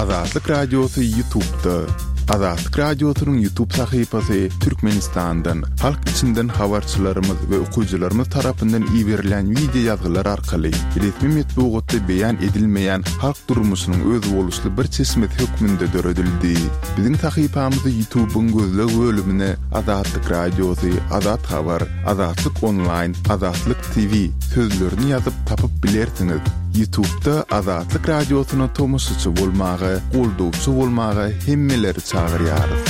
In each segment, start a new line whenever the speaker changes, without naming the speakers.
Azatlyk Radiosy Ýutubda. Azatlyk Radiosynyň Ýutub sahypasy Türkmenistandan, halk içinden habarçylarymyz we okyjylarymyz tarapyndan iberilýän wideo ýazgylar arkaly resmi metbugatda beýan edilmeýän halk durmuşynyň özboluşly bir çeşmesi hökmünde döredildi. Biziň sahypamyzy Ýutubyň gözleg bölümine Azatlyk Radiosy, Azat Habar, Azatlyk Onlaýn, Azatlyk TV sözlerini ýazyp tapyp bilersiňiz. Ýutubda Azatlyk Radiosyna tomaşaçy bolmaga, goldawçy bolmaga hemmeleri çagyrýarys.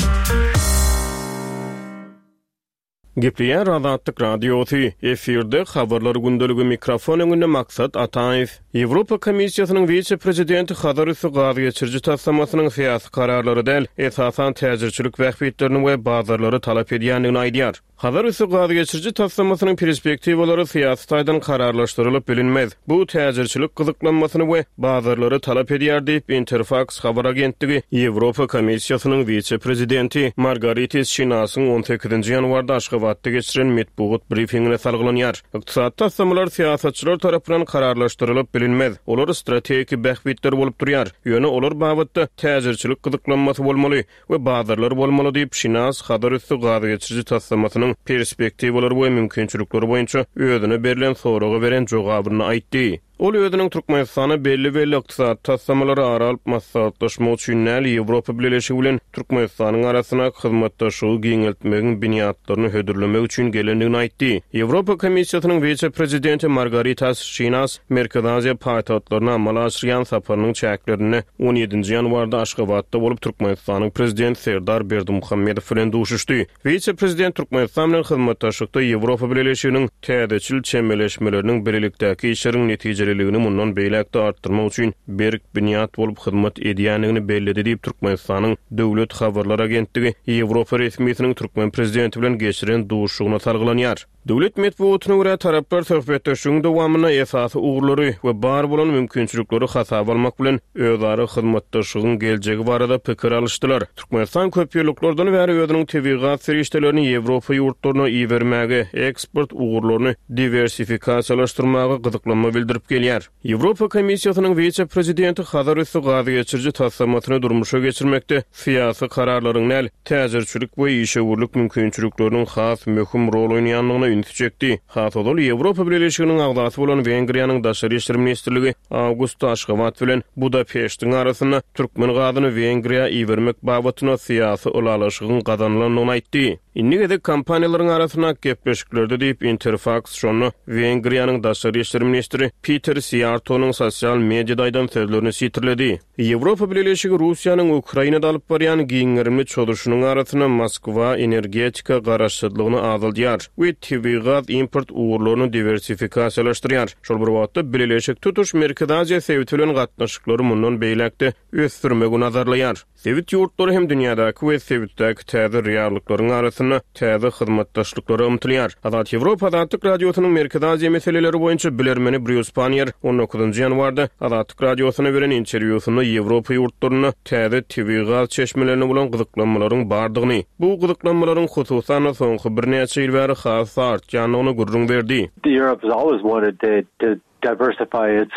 Gepleýär Azatlyk Radiosy, efirde Habarlar gündeligi mikrofon öňünde Maksat Ataýew. Ýewropa Komissiýasynyň wise-prezidenti Hazar üsti gaz geçiriji taslamasynyň syýasy kararlary däl, esasan täjirçilik bähbitlerini we bazarlary talap edýändigini aýdýar. Hazar üsti gaz geçiriji taslamasynyň perspektiwalary syýasy taýdan kararlaşdyrylyp bilinmez. Bu täjirçilik gyzyklanmasyny we bazarlary talap edýär diýip, Interfaks habar agentligi Ýewropa Komissiýasynyň wise-prezidenti Margaritis Şinasyň on sekizinji ýanwarda Aşgabatda geçiren metbugat brifingine salgylanýar. Ykdysady taslamalar syýasatçylar tarapyndan kararlaşdyrylyp bilinmez. Olar strategik bähbitler bolup durýar. Ýöne olar babatda täjirçilik gyzyklanmasy bolmaly we bazarlar bolmaly diýip, Şinas Hazar üsti gaz geçiriji taslamasynyň perspektiwalary we mümkinçilikleri boýunça özüne berlen soraga beren jogabynda aýtdy. Ol özüniň Türkmenistana belli-belli ykdysady taslamalary ara alyp maslahatlaşmak üçin däl, Ýewropa Bileleşigi bilen Türkmenistanyň arasyndaky hyzmatdaşlygy giňeltmegiň binýatlaryny hödürlemek üçin gelendigini aýtdy. Ýewropa Komissiýasynyň wise-prezidenti Margaritas Şinas Merkezi Aziýa paýtagtlaryna amala aşyrýan saparynyň çäklerinde on ýedinji ýanwarda Aşgabatda bolup, Türkmenistanyň Prezidenti Serdar Berdimuhamedow bilen duşuşdy. Wise-prezident Türkmenistan bilen hyzmatdaşlykda Ýewropa Bileleşiginiň täzeçil çemeleşmeleriniň bilelikdäki işleriň netijeliligini mundan beýläk-de artdyrmak üçin berk binýat bolup hyzmat edýändigini belledi diýip, Türkmenistanyň Döwlet habarlar agentligi ýewropa resmisiniň türkmen prezidenti bilen geçiren duşuşygyna salgylanýar. Döwlet metbugatyna görä, taraplar söhbetdeşligiň dowamynda esasy ugurlary we bar bolan mümkinçilikleri hasaba almak bilen, özara hyzmatdaşlygyň geljegi barada pikir alyşdylar. Türkmenistan köpýyllyklardan bäri özüniň tebigy gaz serişdelerini Ýewropa ýurtlaryna ibermäge, eksport ugurlaryny diwersifikasiýalaşdyrmaga gyzyklanma bildirip gelýär. Ýewropa Komissiýasynyň wise-prezidenti Hazar üsti gaz geçiriji taslamasyny durmuşa geçirmekde syýasy kararlaryň däl, täjirçilik we işewürlik mümkinçilikleriniň has möhüm rol oýnaýandygyna ünsi çekdi. Has ozal Ýewropa Bileleşiginiň agzasy bolan Wengriýanyň Daşary işler ministrligi awgustda Aşgabat bilen Budapeştiň arasynda türkmen gazyny Wengriýa ibermek babatynda syýasy ylalaşygyň gazanylandygyny aýtdy. Indi gezek kompaniýalaryň arasyndaky gepleşiklerde diýip, Interfaks şonda Wengriýanyň daşary işler ministri Piter Siýartonyň sosial mediada aýdan sözlerini sitirledi. Ýewropa Bileleşigi Russiýanyň Ukrainada alyp barýan giň gerimli çozuşynyň arasynda Moskwa energetika garaşsyzlygyny azaldýar we tebigy gaz import ugurlaryny diwersifikasiýalaşdyrýar. Şol bir wagtda, Bileleşik tutuş Merkezi Aziýa sebiti bilen gatnaşyklary mundan beýläk-de ösdürmegi nazarlaýar. Sebit ýurtlary hem dünýädäki we sebitdäki täze reallyklaryň arasynda täze hyzmatdaşlyklara ymtylýar. Azat Ýewropa Azatlyk Radiosynyň Merkezi Aziýa meseleleri boýunça bilermeni Brýus Panniýer on dokuzynjy ýanwarda Azatlyk Radiosyna beren interwýusynda Ýewropa ýurtlarynda täze tebigy gaz çeşmelerine bolan gyzyklanmalaryň bardygyny, bu gyzyklanmalaryň hususan-da soňky birnäçe ýyl bäri has-da artýandygyny gürrüň berdi.
Europe has always wanted to diversify its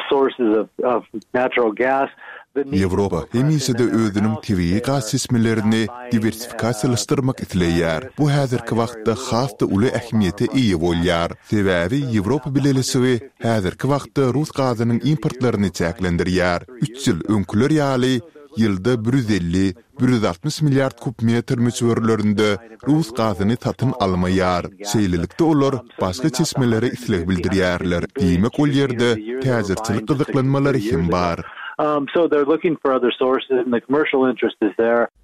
sources of natural gas.
Ýewropa hemişe-de özüniň tebigy gaz çeşmelerini diwersifikasiýalaşdyrmak isleýär. Bu häzirki wagtda has-da uly ähmiýete eýe bolýar. Sebäbi Ýewropa Bileleşigi häzirki wagtda rus gazynyň importlaryny çäklendirýär. Üç ýyl öňküler ýaly ýylda 150, 160 milliard kub metr möçberlerinde rus gazyny satyn almaýar. Şeýlelikde olar başga çeşmelere isleg bildirýärler, diýmek ol ýerde täjirçilik gyzyklanmalary hem bar.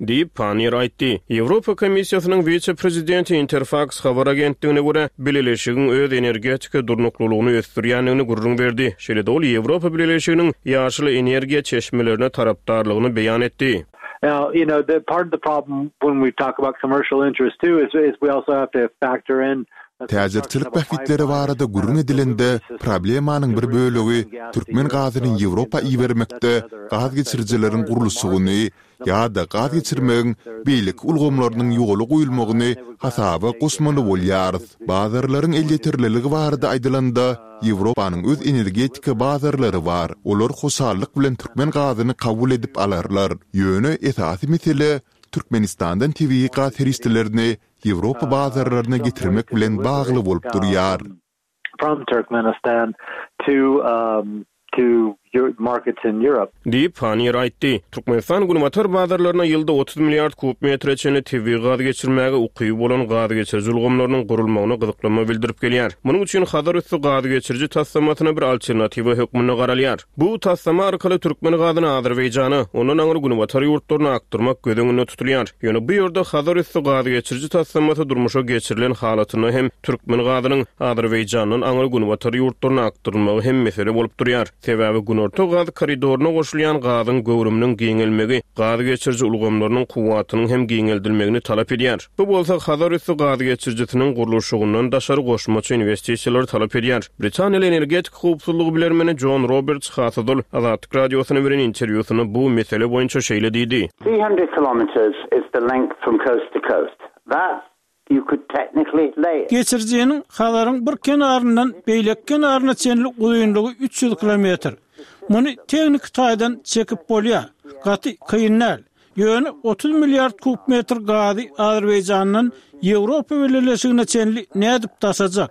Diýip, Panniýer aýtdy. Ýewropa Komissiýasynyň wise-prezidenti Interfaks habar agentligine görä, Bileleşigiň öz energetika durnuklylygyny ösdürýändigini gürrüň berdi. Şeýle-de ol Ýewropa Bileleşiginiň ýaşyl energiýa çeşmelerine tarapdarlygyny beýan etdi.
Now, you know, the part of the problem when we talk about commercial interest too is, is we also have to factor in.
Täjirçilik bähbitleri barada gürrüň edilende, problemanyň bir bölegi türkmen gazyny Ýewropa ibermekde gaz geçirijileriň gurluşygyny ýa-da gaz geçirmegiň beýleki ulgamlarynyň ýola goýulmagyny hasaba goşmaly bolýarys. Bazarlaryň elýeterliligi barada aýdylanda, Ýewropanyň öz energetika bazarlary bar, olar hoşallyk bilen türkmen gazyny kabul edip alarlar. Ýöne esasy mesele Türkmenistandan tebigy gaz serişdelerini Ýewropa bazarlaryna getirmek bilen bagly bolup durýar.
From Turkmenistan to to markets in Europe.
Diýip, Panniýer aýtdy. Türkmenistan günbatar bazarlaryna ýylda 30 milliard kub metre çenli tebigy gaz geçirmäge ukyby bolan gaz geçiriji ulgamlarynyň gurulmagyna gyzyklanma bildirip gelýär. Munuň üçin Hazar üsti gaz geçiriji taslamasyna bir alternatiwa hökmünde garalýar. Bu taslama arkaly türkmen gazyny Azerbaýjana, ondan aňry günbatar ýurtlaryna akdyrmak göz öňünde tutulýar. Ýöne bu ýerde Hazar üsti gaz geçiriji taslamasy durmuşa geçirilen halatynda hem türkmen gazynyň Azerbaýjandan aňry günbatar ýurtlaryna akdyrylmagy hem mesele bolup durýar. Sebäbi Günorta gaz koridoryna goşulýan gazyň göwrüminiň giňelmegi gaz geçiriji ulgamlarynyň kuwwatynyň hem giňeldilmegini talap edýär. Bu bolsa Hazar üsti gaz geçirijisiniň gurluşygyndan daşary goşmaça inwestisiýalary talap edýär. Britaniýaly energetika howpsuzlygy bilermeni Jon Roberts Hasodol Azatlyk Radiosyna beren interwýusynda bu mesele boýunça şeýle diýdi.
300 kilometres is the length from coast to coast. That you could technically lay it.
Geçirijiniň Hazaryň bir kenaryndan beýleki kenaryna çenli uzynlygy 300 kilometr. Muny tehniki taýdan çekip bolýar. Gaty kyn däl. Ýöne 30 milliard kub metr gazy Azerbaýjandan Ýewropa Bileleşigine çenli nädip daşajak?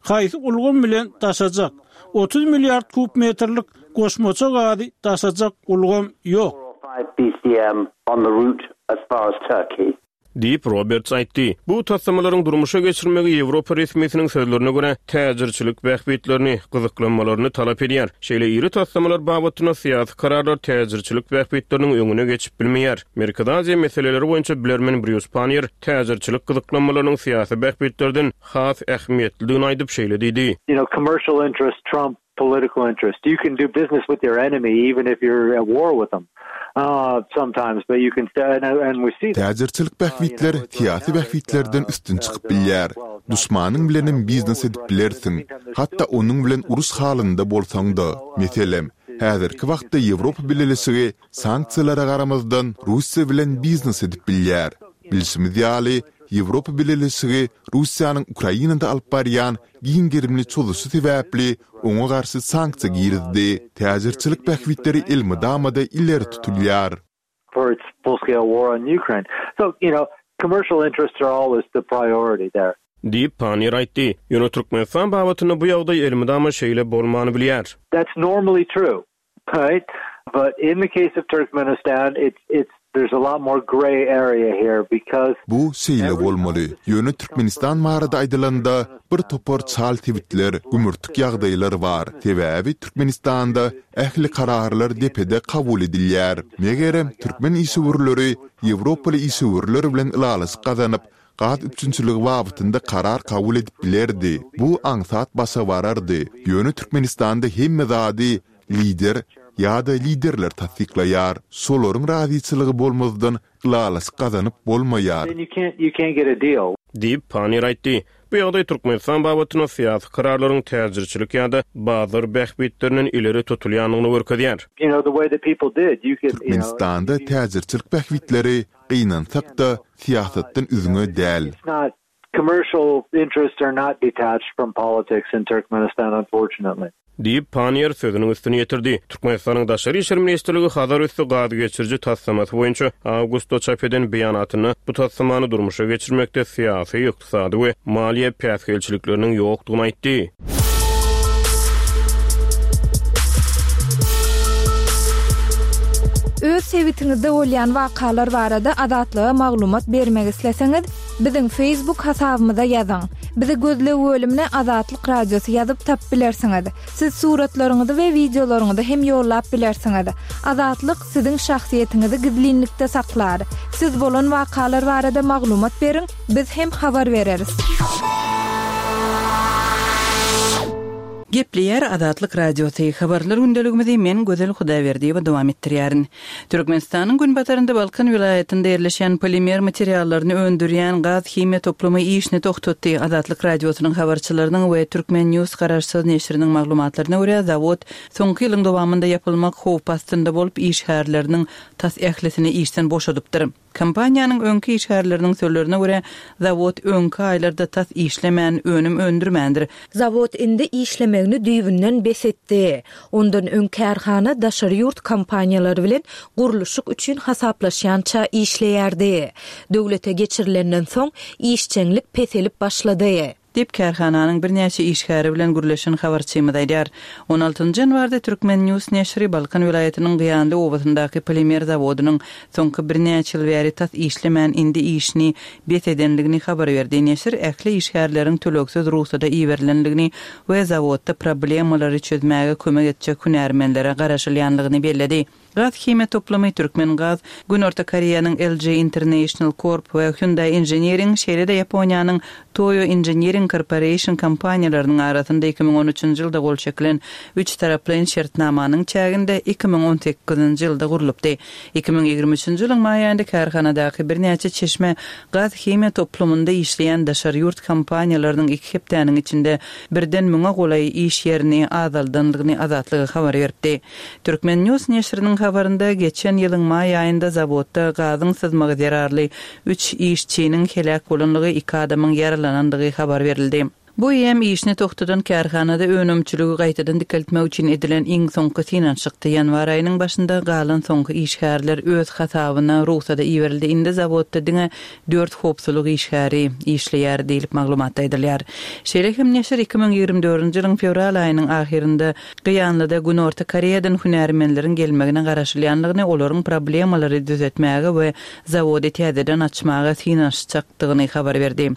Haýsy ulgam bilen daşajak? 30 milliard kub metrlik goşmaça gazy daşajak ulgam ýok.
Diýip, Roberts aýtdy. Bu taslamalaryň durmuşa geçirilmegi ýewropa resmisiniň sözlerine görä, täjirçilik bähbitlerini, gyzyklanmalaryny talap edýär. Şeýle iri taslamalar babatynda syýasy kararlar täjirçilik bähbitleriniň öňüne geçip bilmeýär. Merkezi Aziýa meseleleri boýunça bilermen Brýus Panniýer täjirçilik gyzyklanmalarynyň syýasy bähbitlerden has ähmiýetlidigini aýdyp, şeýle diýdi.
You know, commercial interests trump political interest. You can do business with your enemy even if you're at war with them sometimes, but you can and we see that.
Täjirçilik bähbitler syýasy bähbitlerden üstün çykyp bilýär. Duşmanyň bilenem biznes edip bilersiň, hatda onuň bilen uruş halynda bolsaň-da. Meselem, häzirki wagtda Ýewropa Bileleşigi sanksiýalara garamazdan Russiýa bilen biznes edip bilýär. Bilşimiz ýaly, Ýewropa Bileleşigi Russiýanyň Ukrainada alyp barýan giň gerimli çozuşy sebäpli oňa garşy sanksiýa girizdi. Täjirçilik bähbitleri elmydama-da ileri tutulýar.
Diýip, Panniýer aýtdy. Ýöne Türkmenistan babatynda bu ýagdaý elmydama şeýle bolmany bilýär.
That's normally true. Right but in the case of Turkmenistan it's it's there's a lot more grey area here because
Bu şeýle bolmaly. Ýöne Türkmenistan barada aýdylanda, bir topar çal sebitler, gümürtik ýagdaýlar bar. Sebäbi Türkmenistanda ähli kararlar depede kabul edilýär. Megerem, türkmen işewürleri ýewropaly işewürler bilen ylalaşyk gazanyp, gaz üpjünçiligi babatynda karar kabul edip bilerdi. Bu aňsat başa barardy. Ýöne Türkmenistanda hemme zady lider ýa-da liderler tassyklaýar. Şolaryň razyçylygy bolmazdan ylalaşyk gazanyp bolmaýar.
Diýip, Panniýer aýtdy. Bu ýagdaý Türkmenistan babatynda syýasy kararlaryň täjirçilik ýa-da bazar bähbitlerinden ileri tutulýandygyny görkezýär.
Türkmenistanda täjirçilik bähbitleri Gynansak-da, syýasatdan üzňe däl.
Diýip, Panniýer sözüniň üstüni ýetirdi. Türkmenistanyň Daşary işler ministrligi Hazar üsti gaz geçiriji taslamasy boýunça awgustda çap eden beýanatynda bu taslamany durmuşa geçirmekde syýasy, ykdysady we maliýe päsgelçilikleriniň ýokdugyny aýtdy.
Öz sebitiňizde bolýan wakalar barada Azatlyga maglumat bermek isleseňiz, biziň Facebook hasabymyza ýazyň. Bizi gözleg bölümine Azatlyk Radiosy ýazyp tapyp bilersiňiz. Siz suratlaryňyzy we wideolaryňyzy hem ýollap bilersiňiz. Azatlyk siziň şahsyýetiňizi gizlinlikde saklar. Siz bolan wakalar barada maglumat beriň, biz hem habar bereris.
Gepleýär Azatlyk Radiosy, Habarlar gündeligimizi men Gözel Hudaýberdiýewa dowam etdirýärin. Türkmenistanyň günbatarynda Balkan welaýatynda ýerleşýän polimer materiallaryny öndürýän gaz-himiýa toplumy işini togtatdy. Azatlyk Radiosynyň habarçylarynyň we Turkmen News garaşsyz neşiriniň maglumatlaryna görä, zawod soňky ýylyň dowamynda ýapylmak howpy astynda bolup, işgärleriniň tas ählisini işden boşadypdyr. Kompaniýanyň öňki işgärleriniň sözlerine görä, zawod öňki aýlarda tas işlemän, önüm öndürmändir.
Zawod indi işlemegini düýbünden bes etdi. Ondan öň kärhana daşary ýurt kompaniýalary bilen gurluşyk üçin hasaplaşýança işleýärdi. Döwlete geçirilenden soň, işjeňlik peselip başlady.
Diýip, kärhananyň birnäçe işgäri bilen gürleşen habarçymyz aýdýar. On altynjy ýanwarda Turkmen. News neşiri Balkan welaýatynyň Gyýanly obasyndaky polimer zawodynyň soňky birnäçe ýyl bäri tas işlemän, indi işini bes edendigini habar berdi. Neşir ähli işgärleriň tölegsiz rugsada iberilendigini we zawodda problemalary çözmäge kömek etjek hünärmenlere garaşylýandygyny belledi. Gaz-himiýa toplumy Türkmengaz, Günorta Koreýanyň LG International Corp we Hyundai Engineering, şeýle-de Ýaponiýanyň Toyo Engineering Corporation kompaniýalarynyň arasynda 2013-nji ýylda gol çekilen üçtaraplaýyn şertnamanyň çäginde 2018-nji ýylda gurlupdy. 2023-nji ýylyň maý aýynda kärhanadaky birnäçe çeşme gaz-himiýa toplumynda işleýän daşary ýurt kompaniýalarynyň iki hepdäniň içinde birden müňe golaý iş ýerini azaldandygyny Azatlyga habar beripdi. Turkmen. News neşiriniň habarynda geçen ýylyň maý aýynda zawodda gazyň syzmagy zerarly üç işçiniň heläk bolandygy, iki adamyň ýaralanandygy habar berildi. Bu eýýäm işini togtadan kärhanada önümçiligi gaýtadan dikeltmek üçin edilen iň soňky synanyşykdy. Ýanwar aýynyň başynda galan soňky işgärler öz hasabyna rugsada iberildi. Indi zawodda diňe dört howpsuzlyk işgäri işleýär diýlip, maglumatda aýdylýar. Şeýle hem neşir 2024-nji ýylyň fewral aýynyň ahyrynda Gyýanlyda Günorta Koreýadan hünärmenleriň gelmegine garaşylýandygyny, olaryň problemalary düzetmäge we zawody täzeden açmaga synanyşjakdygyny habar berdi.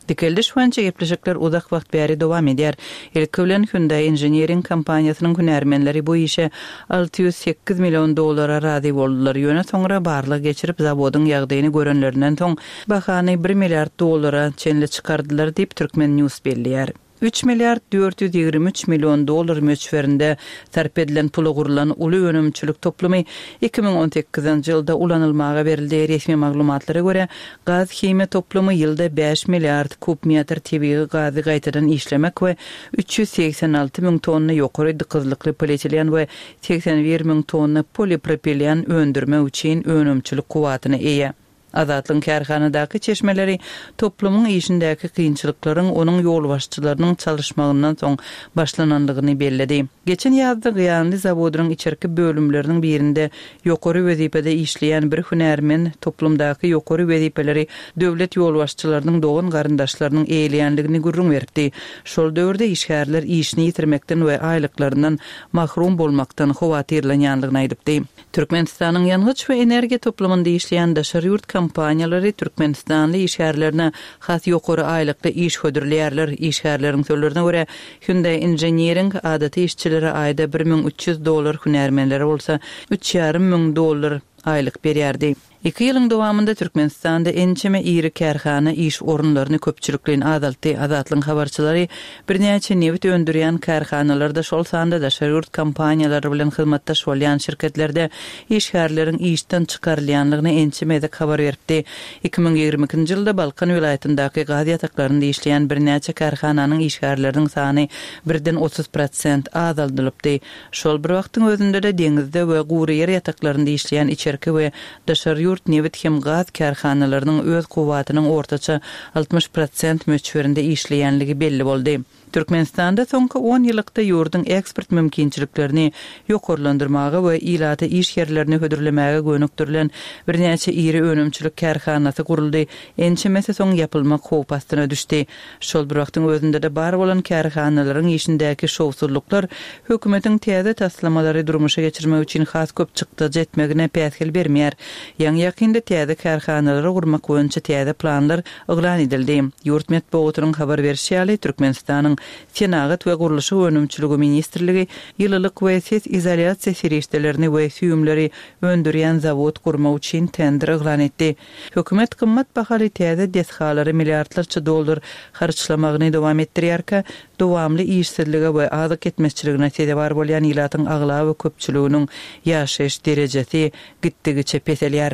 Dikeldiş boýunça gepleşikler uzak wagt bäri dowam edýär. Ilki bilen Hyundai Engineering kompaniýasynyň hünärmenleri bu işe 608 million dollara razy boldular, ýöne soňra barlag geçirip, zawodyň ýagdaýyny görenlerinden soň, bahany bir milliard dollara çenli çykardylar diýip, Turkmen. News belleýär. Üç milliard 423 million dollar möçberinde sarp edilen pula gurlan uly önümçilik toplumy 2018-nji ýylda ulanylmaga berildi. Resmi maglumatlara görä, gaz-himiýa toplumy ýylda bäş milliard kub metr tebigy gazy gaýtadan işlemek we 386 müň tonna ýokary dykyzlykly polietilen we 81 müň tonna polipropilen öndürmek üçin önümçilik kuwwatyna eýe. Azatlygyň kärhanadaky çeşmeleri toplumyň işindäki kynçylyklaryň onuň ýolbaşçylarynyň çalyşmagyndan soň başlanandygyny belledi. Geçen ýazda Gyýanly zawodynyň içerki bölümleriniň birinde ýokary wezipede işleýän bir hünärmen toplumdaky ýokary wezipeleri döwlet ýolbaşçylarynyň dogan-garyndaşlarynyň eýeleýändigini gürrüň beripdi. Şol döwürde işgärler işini ýitirmekden we aýlyklaryndan mahrum bolmakdan howatyrlanýandygyny aýdypdy. Türkmenistanyň ýangyç we energiýa toplumynda işleýän daşary ýurt kompaniýalary türkmenistanly işgärlerine has ýokary aýlykda iş hödürleýärler. Işgärleriň sözlerine görä, Hyundai Engineering adaty işçilere aýda 1300 dollar, hünärmenlere bolsa üç ýarym müň dollar aýlyk berýärdi. Iki ýylyň dowamynda Türkmenistanda ençeme iri kärhana iş orunlaryny köpçülikleýin azaltdy. Azatlygyň habarçylary birnäçe nebit öndürýän kärhanalarda, şol sanda daşary ýurt kompaniýalary bilen hyzmatdaş bolýan şirketlerde işgärleriň işden çykarylýandygyny ençeme gezek habar beripdi. 2022-nji ýylda Balkan welaýatyndaky gaz ýataklarynda işleýän birnäçe kärhananyň işgärleriniň sany birden 30 prosent azaldylypdy. Şol bir wagtyň özünde-de deňizde we gury ýer ýataklarynda işleýän içerki we daşary ýurt nebit hem gaz kärhanalarynyň öz kuwwatynyň ortaça 60 prosent möçberinde işleýänligi belli boldy. Türkmenistanda soňky on ýyllykda ýurduň eksport mümkinçiliklerini ýokarlandyrmaga we ilata iş ýerlerini hödürlemäge gönükdirilen birnäçe iri önümçilik kärhanasy guruldy, ençemesi soň ýapylmak howpy astyna düşdi. Şol bir wagtyň özünde-de bar bolan kärhanalaryň işindäki şowsuzlyklar hökümetiň täze taslamalary durmuşa geçirmek üçin has köp çykdajy etmegine päsgel bermeýär. Ýaňy-ýakynda täze kärhanalary gurmak boýunça täze planlar yglan edildi. Ýurt metbugatynyň habar berşi ýaly, Türkmenistanyň. Senagat we gurluşyk önümçiligi ministrligi ýylylyk we ses izolýasiýa serişdelerini we süýümleri öndürýän zawod gurmak üçin tender yglan etdi. Hökümet gymmat bahaly täze desgalara milliardlarça dollar harçlamagyny dowam etdirýärkä, dowamly işsizlige we azyk ýetmezçiligine sezewar bolýan ilatyň aglaba köpçüliginiň ýaşaýyş derejesi gitdigiçe peselýär.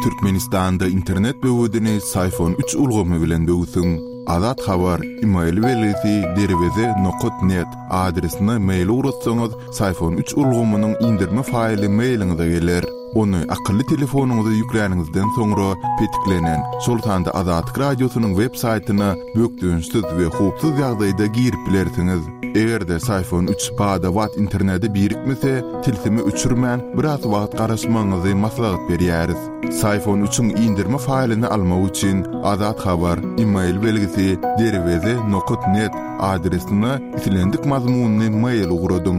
Türkmenistanda internet böwedini Syfon üç ulgamy bilen böwsüň. Azat Habar, email belgisi derweze nokat net adresine mail ugratsaňyz, Syfon üç ulgamynyň indirme faýly mailiňize geler. Ony akylly telefonyňyza ýükläniňizden soňra petiklenen, şol sanda Azatlyk Radiosynyň web saýtyna bökdençsiz we howpsuz ýagdaýda girip bilersiňiz. Eger-de Syfon üç bada-bat internete birikmese, tilsimi öçürmän, biraz wagt garaşmagyňyzy maslahat berýäris. Syfon üçiň indirme faýlyny almak üçin Azat Habar, email belgisi, derweze nokat net adresine islendik mazmunly mail ugradyň.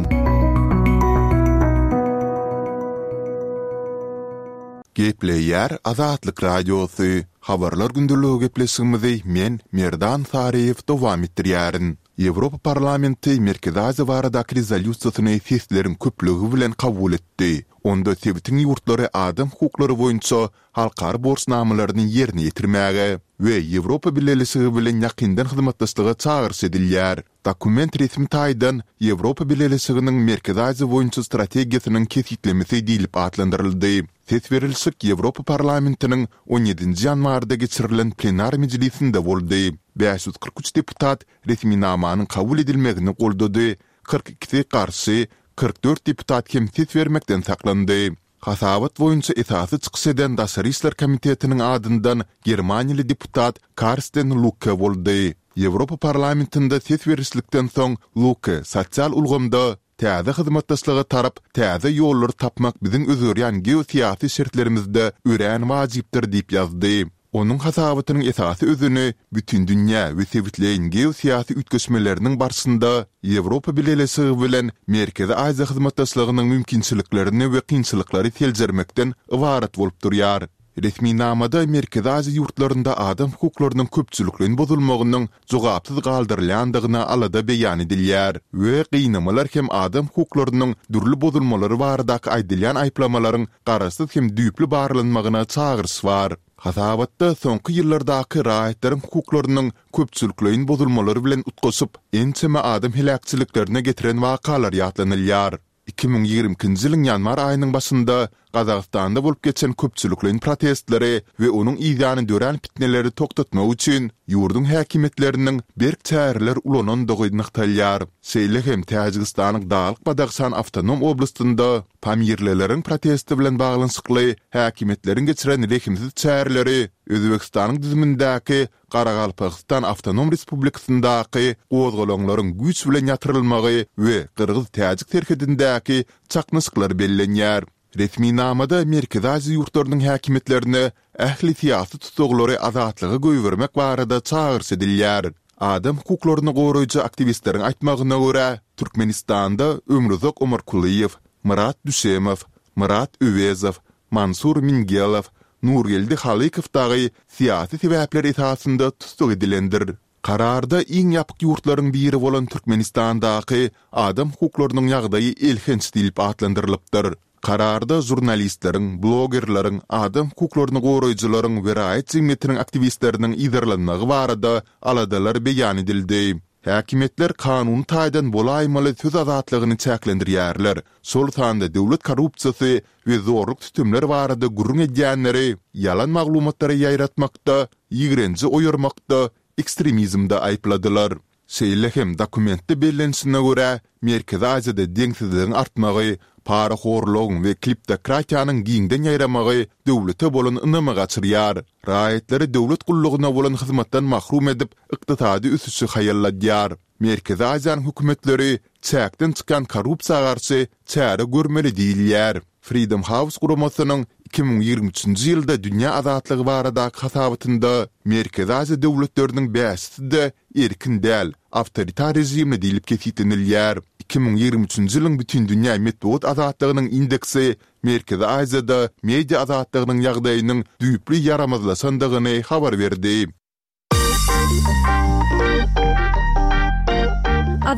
Gepleýär Azatlyk Radiosy, Habarlar gündeligi gepleşigimizi men, Merdan Saryýew dowam etdirýärin. Ýewropa Parlamenti Merkezi Aziýa baradaky rezolýusiýasyny sesleriň köplügi bilen kabul etdi. Onda sebitiň ýurtlary adam hukuklary boýunça halkara borçnamalaryny ýerine ýetirmäge we Ýewropa Bileleşigi bilen ýakyndan hyzmatdaşlyga çagyryş edilýär. Dokument resmi taýdan Ýewropa Bileleşiginiň Merkezi Aziýa boýunça strategiýasynyň kesgitlemesi diýlip atlandyryldy. Ses berilişik Ýewropa Parlamentiniň on ýedinji ýanwarda geçirilen plenar mejlisinde boldy. 543 deputat resminamanyň kabul edilmegini goldady, kyrk ikisi garşy, 44 deputat hem ses bermekden saklandy. Hasabat boýunça esasy çykyş eden Daşary işler komitetiniň adyndan germaniýaly deputat Karsten Lukke boldy. Ýewropa Parlamentinde ses berişlikden soň Lukke sosial ulgamda Täze hyzmatdaşlyga tarap täze ýollary tapmak biziň özgerýän geosyýasy şertlerimizde örän wajypdyr diýip ýazdy. Onuň hasabatynyň esasy özeni bütindünýä we sebitleýin geosyýasy üýtgeşmeleriniň barşynda Ýewropa Bileleşigi bilen Merkezi Aziýa hyzmatdaşlygynyň mümkinçiliklerini we kynçylyklary seljermekden ybarat bolup durýar. Resminamada Merkezi Aziýa ýurtlarynda adam hukuklarynyň köpçülikleýin bozulmagynyň jogapsyz galdyrylýandygyna alada beýan edilýär we gynamalar hem adam hukuklarynyň dürli bozulmalary baradaky aýdylýan aýyplamalaryň garaşsyz hem düýpli barlanmagyna çagyryş bar. Hasabatda soňky ýyllardaky raýatlaryň hukuklarynyň köpçülikleýin bozulmalary bilen utgaşyp, ençeme adam heläkçiliklerine getiren wakalar ýatlanylýar. 2022-nji ýylyň ýanwar aýynyň başynda Gazagystanda bolup geçen köpçülikleýin protestleri we onuň yzýany dörän pitneleri togtatmak üçin ýurduň häkimiýetleriniň berk çäreler ulanandygy nygtalýar. Şeýle hem Täjigistanyň Daglyk-Badahşan awtonom oblastynda pamirlileriň protesti bilen baglanyşykly häkimiýetleriň geçiren rehimsiz çäreleri Özbegistanyň düzümindäki Garagalpagystan Awtonom Respublikasyndaky gozgalaňlaryň güýç bilen ýatyrylmagy we gyrgyz-täjik serhedindäki çaknyşyklar bellenýär. Resminamada Merkezi Aziýa ýurtlarynyň häkimiýetlerine ähli syýasy tussaglary azatlyga goýbermek barada çagyryş edilýär. Adam hukuklaryny goraýjy aktiwistleriň aýtmagyna görä, Türkmenistanda Ömruzak Omarkulyýew, Myrat Düşemow, Myrat Öwezow, Mansur Mingelow, Nurgeldi Halykow dagy syýasy sebäpler esasynda tussag edilendir. Kararda iň ýapyk ýurtlaryň biri bolan Türkmenistandaky adam hukuklarynyň ýagdaýy elhenç diýlip atlandyrylypdyr. Kararda žurnalistleriň, blogerleriň, adam hukuklaryny goraýjylaryň we raýat jemgyýetiniň aktiwistleriniň yzarlanmagy barada aladalar beýan edildi. Häkimiýetler kanuny taýdan bolaýmaly söz azatlygyny çäklendirýärler, şol sanda döwlet korrupsiýasy we zorluk-sütemler barada gürrüň edýänleri ýalan maglumatlary ýaýratmakda, ýigrenji oýarmakda, ekstremizmde aýypladylar. Şeýle hem dokumentde bellenişine görä, Merkezi Aziýada deňsizligiň artmagy, parahorlugyň we kleptokratiýanyň giňden ýaýramagy döwlete bolan ynamy gaçyrýar, raýatlary döwlet gullugyna bolan hyzmatdan mahrum edip, ykdysady ösüşi haýalladýar. Merkezi Aziýanyň hökümetleri çäkden çykýan korrupsiýa garşy çäre görmeli diýilýär. Freedom House guramasynyň 2023-nji ýylda dünýä azatlygy baradaky hasabatynda Merkezi Aziýa döwletleriniň bäşisi-de erkin däl, awtoritar režimli diýlip kesgitlenilýär. 2023-nji ýylyň Bütindünýä metbugat azatlygynyň indeksi Merkezi Aziýada media azatlygynyň ýagdaýynyň düýpli ýaramazlaşandygyny habar berdi.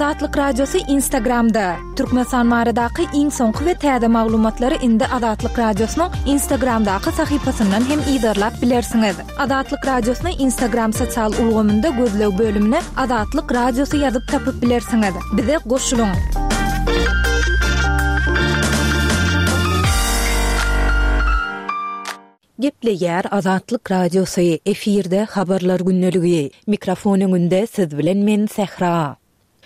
Azatlyk Radiosy Instagramda! Türkmenistan baradaky iň soňky we täze maglumatlary indi Azatlyk Radiosynyň Instagramdaky sahypasyndan hem yzarlap bilersiňiz. Azatlyk Radiosyny Instagram sosial ulgamynda gözleg bölümine Azatlyk Radiosy ýazyp tapyp bilersiňiz. Bize goşulyň!
Gepleýär Azatlyk Radiosy, efirde Habarlar gündeligi. Mikrofon öňünde siz bilen men Sähra.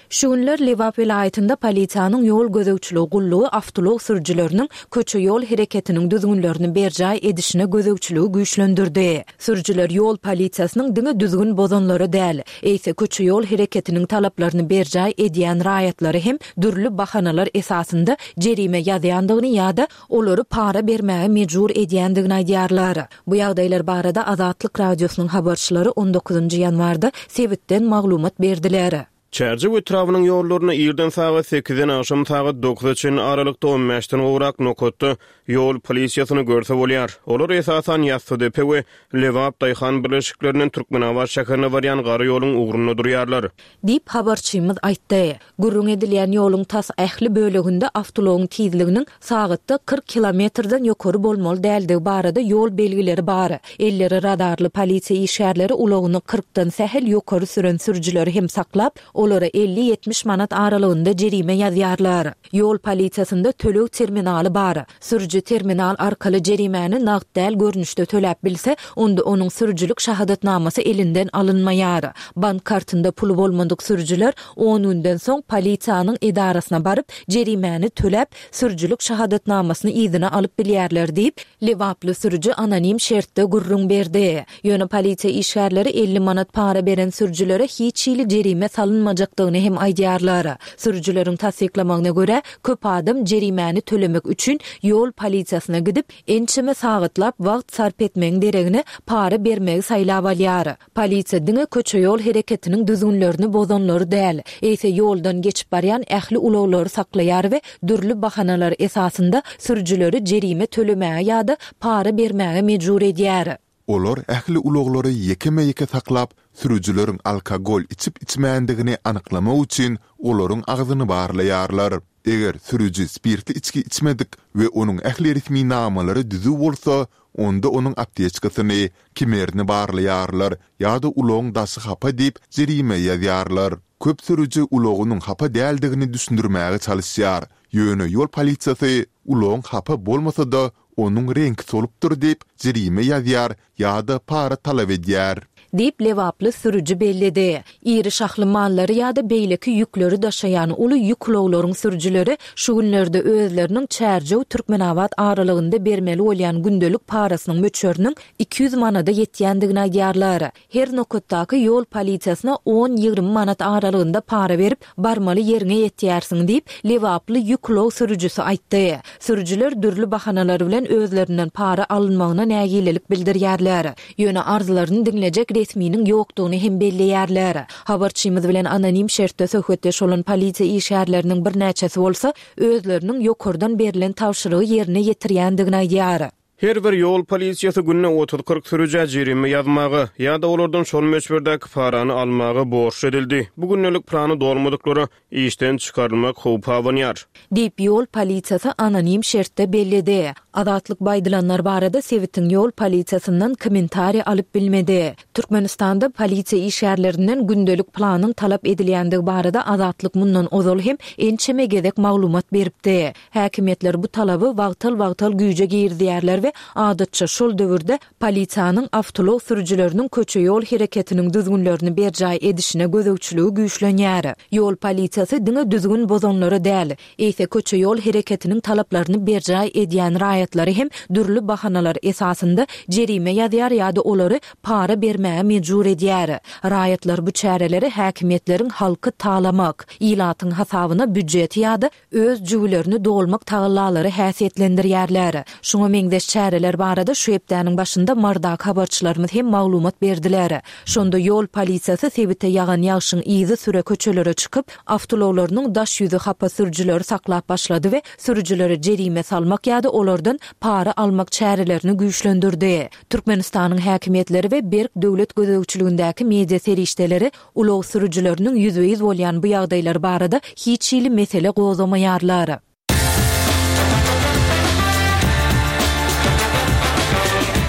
Şu günler Lebap welaýatynda polisiýanyň ýol gözegçiligi gullugy awtoulag sürüjileriniň köçe-ýol hereketiniň düzgünlerini berjaý edişine gözegçiligi güýçlendirdi. Sürüjiler ýol polisiýasynyň diňe düzgün bozanlara däl, eýse köçe-ýol hereketiniň talaplaryny berjaý edýän raýatlary hem dürli bahanalar esasynda jerime ýazýandygyny ýa-da olary para bermäge mejbur edýändigini aýdýarlar. Bu ýagdaýlar barada Azatlyk Radiosynyň habarçylary on dokuzynjy ýanwarda sebitden maglumat berdiler.
Çärjew etrabynyň ýollarynda irden sagat sekizden agşam sagat dokuza çenli aralykda on bäşden gowrak nokatda ýol polisiýasyny görse bolýar. Olar esasan Ýassydepe we Lebap daýhan birleşiklerinden Türkmenabat şäherine barýan gara ýoluň ugrunda durýarlar.
Diýip, habarçymyz aýtdy. Gürrüň edilýän ýoluň tas ähli böleginde awtoulagyň tizliginiň sagatda 40 kilometrden ýokary bolmaly däldigi barada ýol belgileri bar. Elleri radarly polisiýa işgärleri ulagyny kyrkdan sähel ýokary süren sürüjileri hem saklap, olara elli-ýetmiş manat aralygynda jerime ýazýarlar. Ýol polisiýasynda töleg terminaly bar. Sürüji terminal arkaly jerimäni nagt däl görnüşde töläp bilse, onda onuň sürüjilik şahadatnamasy elinden alynmaýar. Bank kartynda puly bolmadyk sürüjiler on günden soň polisiýanyň edarasyna baryp, jerimäni töläp, sürüjilik şahadatnamasyny yzyna alyp bilýärler diýip, lebaply sürüji anonim şertde gürrüň berdi. Ýöne polisiýa işgärleri 50 manat para beren sürüjilere hiç hili jerime salynmajakdygyny hem aýdýarlar. Sürüjileriň tassyklamagyna görä, köp adam jerimäni tölemek üçin ýol polisiýasyna gidip, ençeme sagatlap wagt sarp etmegiň deregine para bermegi saýlap alýar. Polisiýa diňe köçe-ýol hereketiniň düzgünlerini bozanlary däl, eýse ýoldan geçip barýan ähli ulaglary saklaýar we dürli bahanalar esasynda sürüjileri jerime tölemäge ýa-da para bermäge mejbur edýär.
Olar ähli ulaglary ýekeme-ýeke saklap, sürüjileriň alkogol içip-içmändigini anyklamak üçin olaryň agzyny barlaýarlar. Eger sürüji spirtli içgi içmedik we onuň ähli resminamalary düzüw bolsa, onda onuň apteçkasyny, kemerini barlaýarlar ýa-da ulagyň daşy hapa diýip jerime ýazýarlar. Köp sürüji ulagynyň hapa däldigini düşündirmäge çalyşýar, ýöne ýol polisiýasy ulagyň hapa bolmasa-da, onuň reňki solupdyr diýip, jerime ýazýar ýa-da para talap edýär.
Diýip, lebaply sürüji belledi. Iri şahly mallary ýa-da beýleki ýükleri daşaýan uly ýük ulaglaryň sürüjileri şu günlerde özleriniň Çärjew-Türkmenabat aralygynda bermeli bolýan gündelik parasynyň möçberiniň 200 manada ýetýändigini aýdýarlar. Her nokatdaky ýol polisiýasyna on-ýigrimi manat aralygynda para berip, barmaly ýeriňe ýetýärsiň diýip, lebaply ýük ulag sürüjisi aýtdy. Sürüjiler dürli bahanalar bilen özlerinden para alynmagyna nägilelik bildirýärler. Ýöne arzlaryny diňlejek resminiň ýokdugyny hem belleýärler. Habarçymyz bilen anonim şertde söhbetdeş bolan polisiýa işgärleriniň birnäçesi bolsa, özleriniň ýokardan berlen tabşyrygy ýerine ýetirýändigini aýdýar.
Her bir ýol polisiýasy günde otuz-kyrk sürüjä jerime ýazmaga ýa-da olardan şol möçberdäki parany almaga borçly edildi. Bu gündelik plany dolmadyklara işden çykarylmak howpy abanýar.
Diýip, ýol polisiýasy anonim şertde belledi. Azatlyk bu aýdylanlar barada sebitiň ýol polisiýasyndan kommentariý alyp bilmedi. Türkmenistanda polisiýa işgärlerinden gündelik planyň talap edilýändigi barada Azatlyk mundan ozal hem ençeme gezek maglumat beripdi. Häkimiýetler bu talaby wagtal-wagtal güýje girizýärler we adatça şol döwürde polisiýanyň awtoulag sürüjileriniň köçe-ýol hereketiniň düzgünlerini berjaý edişine gözegçiligi güýçlenýär. Ýol polisiýasy diňe düzgün bozanlary däl, eýse köçe-ýol hereketiniň talaplaryny berjaý edýän raýatlary hem dürli bahanalar esasynda jerime ýazýar ýa-da olary para bermäge mejbur edýär. Raýatlar bu çäreleri häkimiýetleriň halky talamak, ilatyň hasabyna býujeti ýa-da öz jübülerini dolmak tagallalary häsiýetlendirýärler. Şuňa meňzeş. çäreler barada şu hepdäniň başynda Marydaky habarçylarymyz hem maglumat berdiler. Şonda ýol polisiýasy sebite ýagan ýagşyň yzysüre köçelere çykyp, awtoulaglarynyň daş ýüzi hapa sürüjileri saklap başlady we sürüjilere jerime salmak ýa-da olardan para almak çärelerini güýçlendirdi. Türkmenistanyň häkimiýetleri we berk döwlet gözegçiligindäki media serişdeleri ulag sürüjileriniň ýüzbe-ýüz bolýan bu ýagdaýlary barada hiç hili mesele gozgamaýarlar.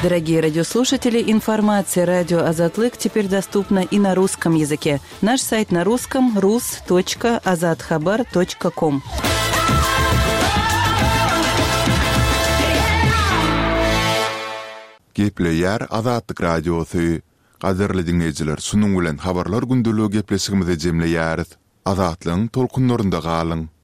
Дорогие радиослушатели, информация радио Азатлык теперь доступна и на русском языке. Наш сайт на русском rus.azathabar.com.
Gepleýär Azatlyk Radiosy. Gadyrly diňleýjiler, şunuň bilen Habarlar gündeligi gepleşigimizi jemleýäris. Azatlygyň tolkunlarynda galyň!